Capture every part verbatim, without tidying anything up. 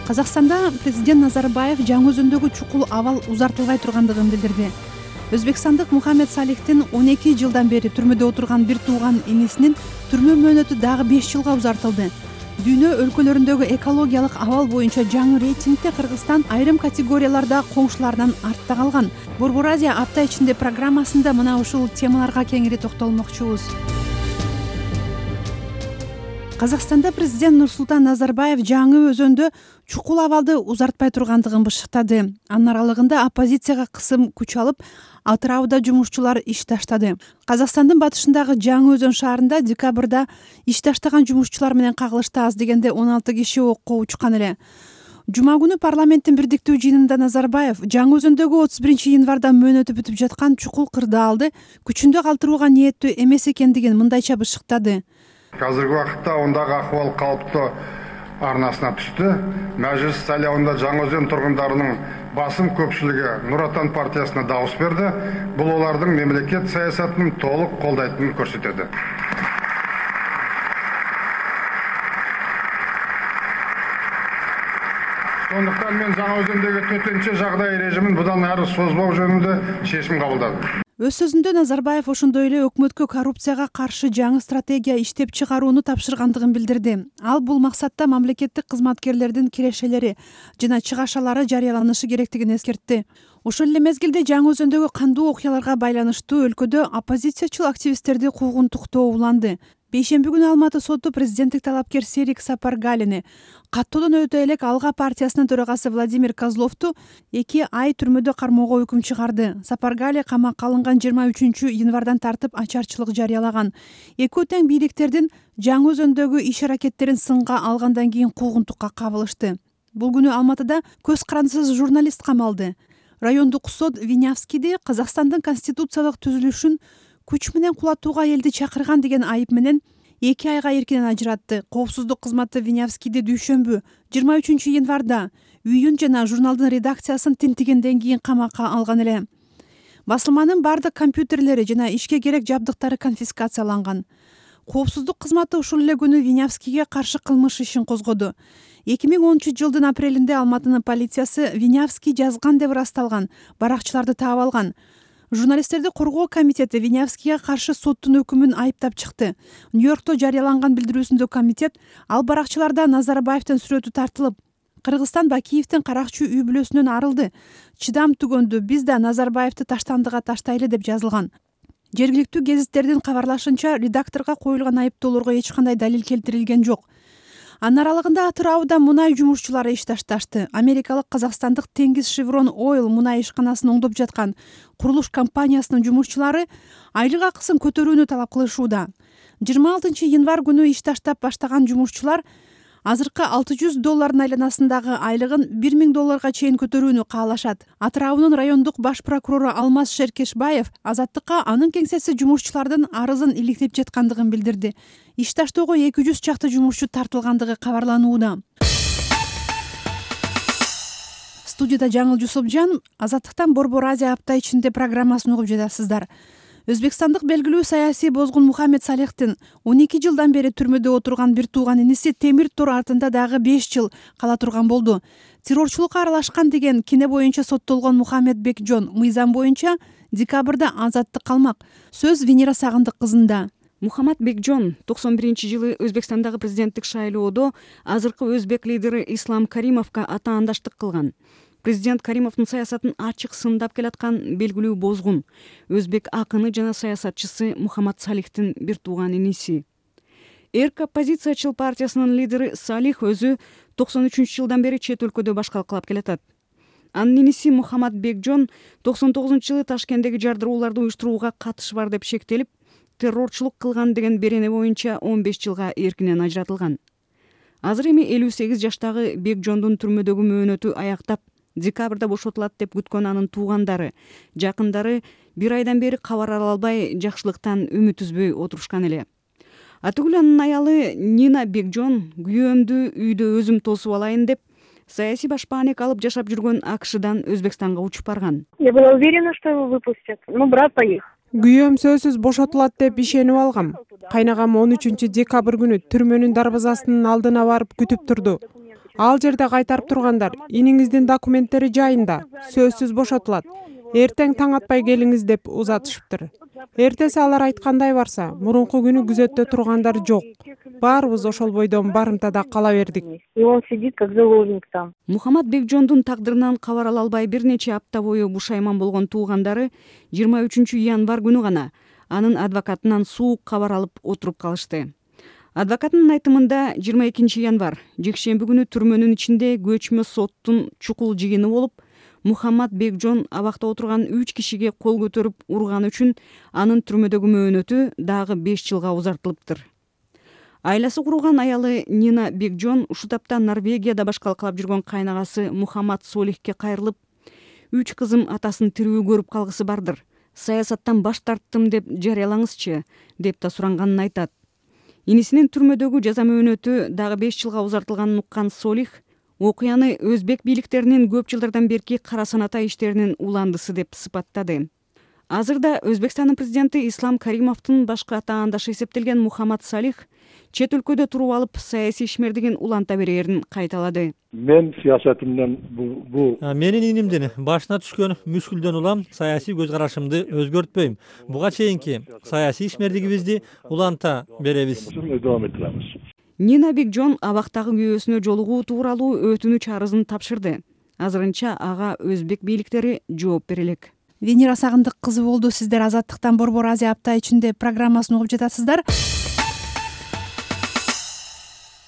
Казакстанда президент Назарбаев жаңы өзөндөгү чукул абал узартылбай тургандыгын билдирди. Өзбекстандык Мухаммед Салихтин он эки жылдан бери түрмөдө отурган бир тууган инисинин түрмө мөөнөтү дагы беш жылга узартылды. Дүйнө өлкөлөрүндөгү экологиялык абал боюнча жаңы рейтингде Кыргызстан айрым категорияларда коңшуларынан артта калган. Борбор Азия апта ичинде программасында мына ушул темаларга кеңири токтолмокчубуз. Казакстанда президент Нурсултан Назарбаев жаңы өзөндө чукул абалды узартпай тургандыгын бышыктады. Анын аралыгында оппозицияга кысым күч алып, Атырауда жумушчулар иш таштады. Казакстандын батышындагы Жаңы Өзөн шаарында декабрда иш таштаган жумушчулар менен кагылышты аз дегенде он алты киши окко учкан эле. Жума күнү парламенттин бирдиктүү жыйынында Назарбаев Жаңы Өзөндөгү отуз биринчи январда мөөнөтү бүтүп жаткан чукул кырдаалды күчүндө калтырууга ниеттүү эмес экендигин мындайча бышыктады. Қазіргі уақытта ондағы ахуал қалыпты арнасына түсті. Мәжіліс сайлауында Жаңаөзен тұрғындарының басым көпшілігі Нұр Отан партиясына дауыс берді. Бұл олардың мемлекет саясатының толық қолдайтынын көрсетеді. Сондықтан мен Жаңаөзендегі төтенше жағдай режимін бұдан әрі созбау жөнінде шешім қабылдадым. Өз сөзүндө Назарбаев ошондой эле өкмөткө коррупцияга каршы жаңы стратегия иштеп чыгарууну тапшыргандыгын билдирди. Ал бул максатта мамлекеттик кызматкерлердин кирешелери жана чыгашалары жарыяланышы керектигин эскертти. Ошол эле мезгилде Жаңы Өзөндөгү кандуу окуяларга байланыштуу өлкөдө оппозициячыл активисттерди куугунтуктоо уланды. Бейшемби күнү Алматы соту президенттик талапкер Серик Сапаргалини каттоодон өтө элек Алга партиясынын төрагасы Владимир Козловду эки ай түрмөдө кармоого өкүм чыгарды. Сапаргали камакка алынган жыйырма үчүнчү январдан тартып ачарчылык жарыялаган. Экөө тең бийликтердин Жаңы Өзөндөгү иш аракеттерин сынга алгандан кийин куугунтукка кабылышты. Бул күнү Алматыда көз карандысыз журналист камалды. Райондук сот Винявскийди Казакстандын конституциялык түзүлүшүн күч менен кулатууга элди чакырган деген айып менен эки айга эркинен ажыратты. Коопсуздук кызматы Винявскийди дүйшөмбү жыйырма үчүнчү январда үйүн жана журналдын редакциясын тинтигенден кийин камакка алган эле. Басылманын бардык компьютерлери жана ишке керек жабдыктары конфискацияланган. Коопсуздук кызматы ушул эле күнү Винявскийге каршы кылмыш ишин козгоду. эки миң онунчу жылдын апрелинде Алматынын полициясы Винявский жазган деп ырасталган баракчыларды таап алган. Журналисттерди коргоо комитети Винявскийге каршы соттун өкүмүн айыптап чыкты. Нью-Йоркто жарыяланган билдирүүсүндө комитет ал баракчыларда Назарбаевдин сүрөтү тартылып, Кыргызстан Бакиевдин каракчы үй бүлөсүнөн арылды. Чыдам түгөндү, биз да Назарбаевди таштандыга таштайлы деп жазылган. Жергиликтүү гезиттердин кабарлашынча, редакторго коюлган айыптоолорго эч кандай далил келтирилген жок. Анын аралыгында Атырауда мунай жумушчулары иш ташташты. Америкалык Казакстандык Теңиз Шеврон Ойл мунай ишканасын оңдоп жаткан курулуш компаниясынын жумушчулары айлык акысын көтөрүүнү талап кылышууда. жыйырма алтынчы январ күнү иш таштап баштаган жумушчулар азыркы алты жүз доллардын айланасындагы айлыгын бир миң долларга чейин көтөрүүнү каалашат. Атыраунун райондук баш прокурору Алмаз Шеркешбаев Азаттыкка анын кеңсеси жумушчулардын арызын иликтеп жаткандыгын билдирди. Иш таштоого эки жүз чакты жумушчу тартылгандыгы кабарланууда. Студияда Жаңыл Жусупжан, Азаттыктан Борбор Азия апта ичинде программасын угуп жатасыздар. Өзбекстандык белгилүү саясий бозгун Мухаммед Салихтин он эки жылдан бери түрмөдө отурган бир тууган иниси темир тор артында дагы беш жыл кала турган болду. Террорчулукка аралашкан деген кине боюнча соттолгон Мухаммед Бекжон мыйзам боюнча декабрда азаттык калмак. Сөз Венера Сагындык кызында. Мухаммад Бекжон токсон биринчи жылы Өзбекстандагы президенттик шайлоодо азыркы өзбек лидери Ислам Каримовго атаандаштык кылган. Президент Каримовдун саясатын ачык сындап келаткан белгилүү бозгун, өзбек акыны жана саясатчысы Мухаммад Салихтин бир тууган иниси. Эрк оппозициячыл партиясынын лидери Салих өзү токсон үчүнчү жылдан бери чет өлкөдө башкалкалап келатат. Анын иниси Мухаммад Бекжон токсон тогузунчу жылы Ташкенттеги жардырууларды уюштурууга катышы бар деп шектелип, террорчулук кылган деген берене боюнча он беш жылга эркинен ажыратылган. Азыр эми элүү сегиз жаштагы Бекжондун түрмөдөгү мөөнөтү аяктап, декабрда бошотулат деп күткөн анын туугандары, жакындары бир айдан бери кабар ала албай, жакшылыктан үмүт үзбөй отурушкан эле. Атүгүл анын аялы Нина Бекжон күйөөмдү үйдө өзүм тосуп алайын деп саясий башпаанек алып жашап жүргөн АКШдан Өзбекстанга учуп барган. Я была уверена, что его выпустят, но брат поехал. Күйөөм сөзсүз бошотулат деп ишенип алгам. Кайнагам он үчүнчү декабрь күнү түрмөнүн дарбазасынын алдына барып күтүп турду. Ал жерде кайтарып тургандар иниңиздин документтери жайында, сөзсүз бошотулат. Эртең таң атпай келиңиз деп узатышыптыр. Эртеси алар айткандай барса, мурунку күнү күзөттө тургандар жок. Баарыбыз ошол бойдон барымтада кала бердик. И он сидит как заложник там. Мухаммад Бекжондун тагдырынан кабар ала албай бир нече апта бою бушайман болгон туугандары жыйырма үчүнчү январь күнү гана анын адвокатынан суук кабар алып отуруп калышты. Адвокаттын айтымында жыйырма экинчи январь жекшемби күнү түрмөнүн ичинде көчмө соттун чукул жыйыны болуп, Мухаммад Бекжон абакта отурган үч кишиге кол көтөрүп урганы үчүн анын түрмөдөгү мөөнөтү дагы беш жылга узартылыптыр. Айласы курулган аялы Нина Бекжон ушул тапта Норвегияда башкалкалап жүргөн кайнагасы Мухаммад Солихке кайрылып, үч кызым атасын тирүү көрүп калгысы бардыр. Саясаттан баш тарттым деп жарыялаңызчы, деп да суранганын айтат. Инисинин түрмөдөгү жаза мөөнөтү дагы беш жылга узартылганын уккан Солих окуяны өзбек бийликтеринин көп жылдардан берки кара саната иштеринин уландысы деп сыпаттады. Азырда Өзбекстандын президенти Ислам Каримовдун башкы атаандашы эсептелген Мухаммад Салих чет өлкөдө туруп алып саясий ишмердигин уланта берээрин кайталады. Мен саясатымдан бул менин инимдин башына түшкөн мүшкүлдөн улам саясий көз карашымды өзгөртпөйм. Буга чейинки саясий ишмердигибизди уланта беребиз. Нина Бекжон абактагы күйөөсүнө жолугуу тууралуу өтүнүч арызын тапшырды. Азырынча ага өзбек бийликтери жооп бере элек. Венера Сагындык кызы болду. Сиздер Азаттыктан Борбор Азия апта ичинде программасын угуп жатасыздар.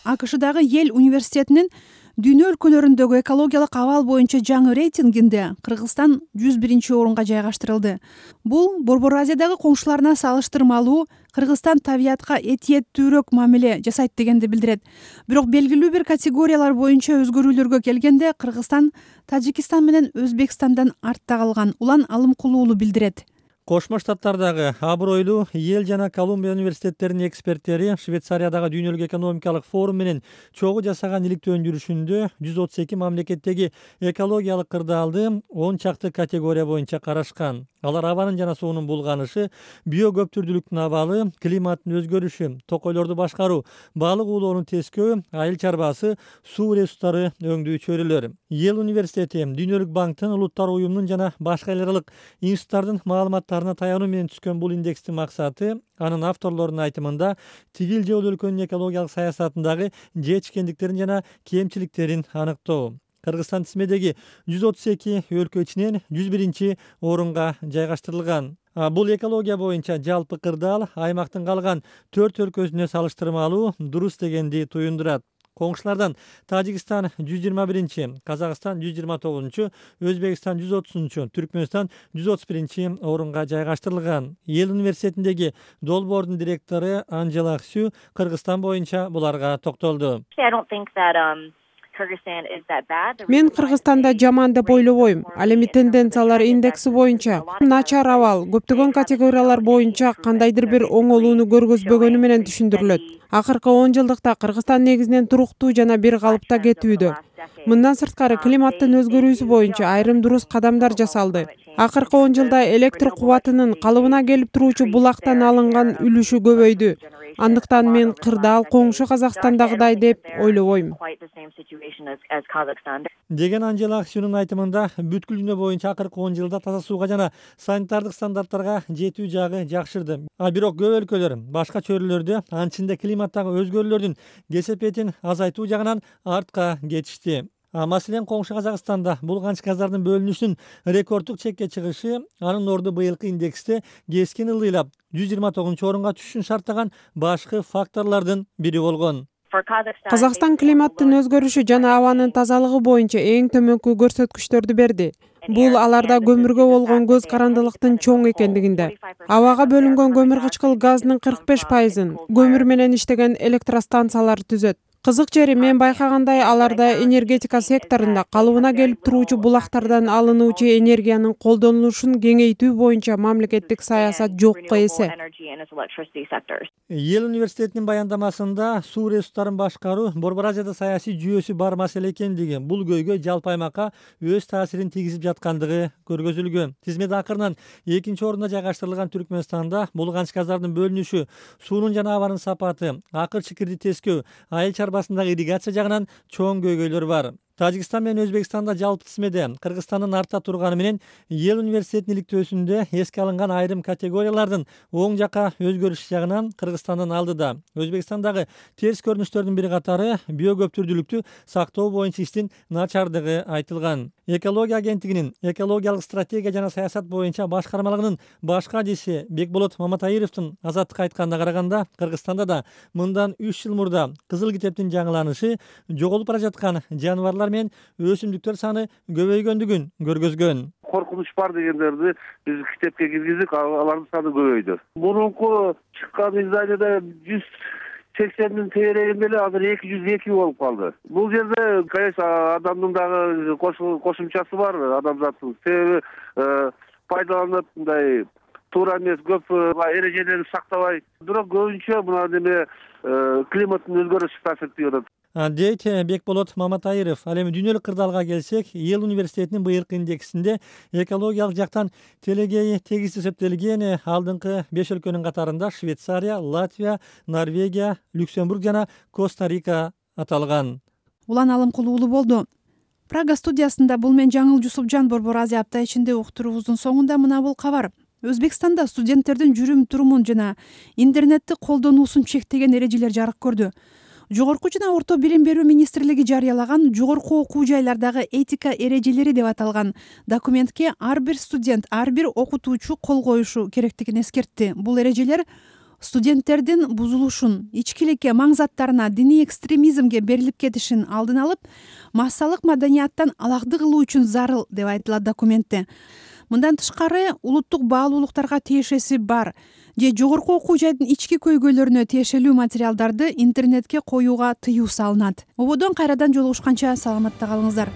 АКШдагы Йель университетинин дүйнө өлкөлөрүндөгү экологиялык абал боюнча жаңы рейтингинде Кыргызстан жүз биринчи орунга жайгаштырылды. Бул Борбор Азиядагы коңшуларына салыштырмалуу Кыргызстан табиятка этиеттүүрөөк мамиле жасайт дегенди билдирет. Бирок белгилүү бир категориялар боюнча өзгөрүүлөргө келгенде Кыргызстан Тажикистан менен Өзбекстандан артта калган. Улан Алымкулуулу билдирет. Кошмо Штаттардагы абройлуу Йель жана Колумбия университеттеринин эксперттери Швейцариядагы дүйнөлүк экономикалык форум менен чогуу жасаган иликтөөнүн жүрүшүндө жүз отуз эки мамлекеттеги экологиялык кырдаалды он чакты категория боюнча карашкан. Алар абанын жана суунун булганышы, биокөптүрдүүлүктүн абалы, климаттын өзгөрүшү, токойлорду башкаруу, балык уулоонун тескөө, айыл чарбасы, суу ресурстары өңдүү чөйрөлөр. Йель университети Дүйнөлүк банктын, улуттар уюмунун жана башка эл аралык институттардын маалыматтарына таянуу менен түзгөн бул индекстин максаты анын авторлорунун айтымында тигил же бул өлкөнүн экологиялык саясатындагы жетишкендиктерин жана кемчиликтерин аныктоо. Кыргызстан тизмедеги жүз отуз эки өлкө ичинен жүз биринчи орунга жайгаштырылган. Бул экология боюнча жалпы кырдаал аймактын калган төрт өлкөсүнө салыштырмалуу дурус дегенди туюндурат. Коңшулардан Тажикстан жүз жыйырма биринчи, Казакстан жүз жыйырма тогузунчу, Өзбекстан жүз отузунчу, Түркмөнстан жүз отуз биринчи орунга жайгаштырылган. Йель университетиндеги долбоордун директору Анжела Аксю Кыргызстан боюнча буларга токтолду. Мен Кыргызстанда жаман деп ойлобойм. Ал эми тенденциялар индекси боюнча начар абал көптөгөн категориялар боюнча кандайдыр бир оңолууну көргөзбөгөнү менен түшүндүрүлөт. Акыркы он жылдыкта Кыргызстан негизинен туруктуу жана бир калыпта кетүүдө. Мындан сырткары климаттын өзгөрүүсү боюнча айрым дурус кадамдар жасалды. Акыркы он жылда электр кубатынын калыбына келип туруучу булактан алынган үлүшү көбөйдү. Андыктан мен кырдаал коңшу Казакстандагыдай деп ойлобойм. Деген Анжела Аксюнун айтымында бүткүл дүйнө боюнча акыркы он жылда таза сууга жана санитардык стандарттарга жетүү жагы жакшырды. А бирок көп өлкөлөр башка чөйрөлөрдө анчында климаттагы өзгөрүүлөрдүн кесепетин азайтуу жагынан артка кетишти. Маселен, коңшу Казакстанда булганыч газдардын бөлүнүшүнүн рекорддук чекке чыгышы анын орду быйылкы индексте кескин ылдыйлап жүз жыйырма тогузунчу орунга түшүшүн шарттаган башкы факторлордун бири болгон. Казакстан климаттын өзгөрүшү жана абанын тазалыгы боюнча эң төмөнкү көрсөткүчтөрдү берди. Бул аларда көмүргө болгон көз карандылыктын чоң экендигинде. Абага бөлүнгөн көмүр кычкыл газынын кырк беш пайызын көмүр менен иштеген электростанциялар түзөт. Кызык жери мен байкагандай аларда энергетика секторунда калыбына келип туруучу булактардан алынуучу энергиянын колдонулушун кеңейтүү боюнча мамлекеттик саясат жокко эсе. Йель университетинин баяндамасында суу ресурстарын башкаруу Борбор Азияда саясий жүйөсү бар маселе экендиги, бул көйгөй жалпы аймакка өз таасирин тийгизип жаткандыгы көргөзүлгөн. Тизмеде акырынан экинчи орунда жайгаштырылган Түркмөнстанда булганыч газдардын бөлүнүшү, суунун жана абанын сапаты, акыр чикирди тескөө, айыл чарба арбасындагы ирригация жагынан чоң көйгөйлөр бар. Тажикстан менен Өзбекстанда жалпы тизмеде Кыргызстандын артта турганы менен эл университетинин иликтөөсүндө эске алынган айрым категориялардын оң жакка өзгөрүшү жагынан Кыргызстандын алдыда. Өзбекстандагы терс көрүнүштөрдүн бири катары биокөптүрдүүлүктү сактоо боюнча иштин начардыгы айтылган. Экология агенттигинин экологиялык стратегия жана саясат боюнча башкармалыгынын баш кадиси Бекболот Маматайыровдун Азаттыкка айтканына караганда, Кыргызстанда да мындан үч жыл мурда кызыл китептин жаңыланышы жоголуп бара жаткан жаныбарлар мен өсүмдүктөр саны көбөйгөндүгүн көргөзгөн. Коркунуч бар дегендерди биз китепке киргиздик, алардын саны көбөйдү. Мурунку чыккан изданияда жүз сексендин тегерегинде эле азыр эки жүз эки болуп калды. Бул жерде, конечно, адамдын дагы кошумчасы бар, адамзаттын. Себеби пайдаланып мындай туура эмес көп эрежелерди сактабай, бирок көбүнчө мына неме климаттын өзгөрүшү таасиртип атат дейт Бекболот Маматайыров. Ал эми дүйнөлүк кырдаалга келсек, эл университетинин быйылкы индексинде экологиялык жактан телегей тегиз эсептелген алдыңкы беш өлкөнүн катарында Швейцария, Латвия, Норвегия, Люксембург жана Коста-Рика аталган. Улан Алымкулуулу болду. Прага студиясында бул мен Жаңыл Жусупжан Борбор Азия апта ичинде уктуруубуздун соңунда мына бул кабар. Өзбекстанда студенттердин жүрүм турумун жана интернетти колдонуусун чектеген эрежелер жарык көрдү. Жогорку жана орто билим берүү министрлиги жарыялаган жогорку окуу жайлардагы этика эрежелери деп аталган документке ар бир студент, ар бир окутуучу кол коюшу керектигин эскертти. Бул эрежелер студенттердин бузулушун, ичкиликке, маң заттарына, диний экстремизмге берилип кетишин алдын алып, массалык маданияттан алакты кылуу үчүн зарыл деп айтылат документте. Мындан тышкары, улуттук баалуулуктарга тиешеси бар же жогорку окуу жайдын ички көйгөйлөрүнө тиешелүү материалдарды интернетке коюуга тыюу салынат. Ободон кайрадан жолугушканча саламатта калыңыздар.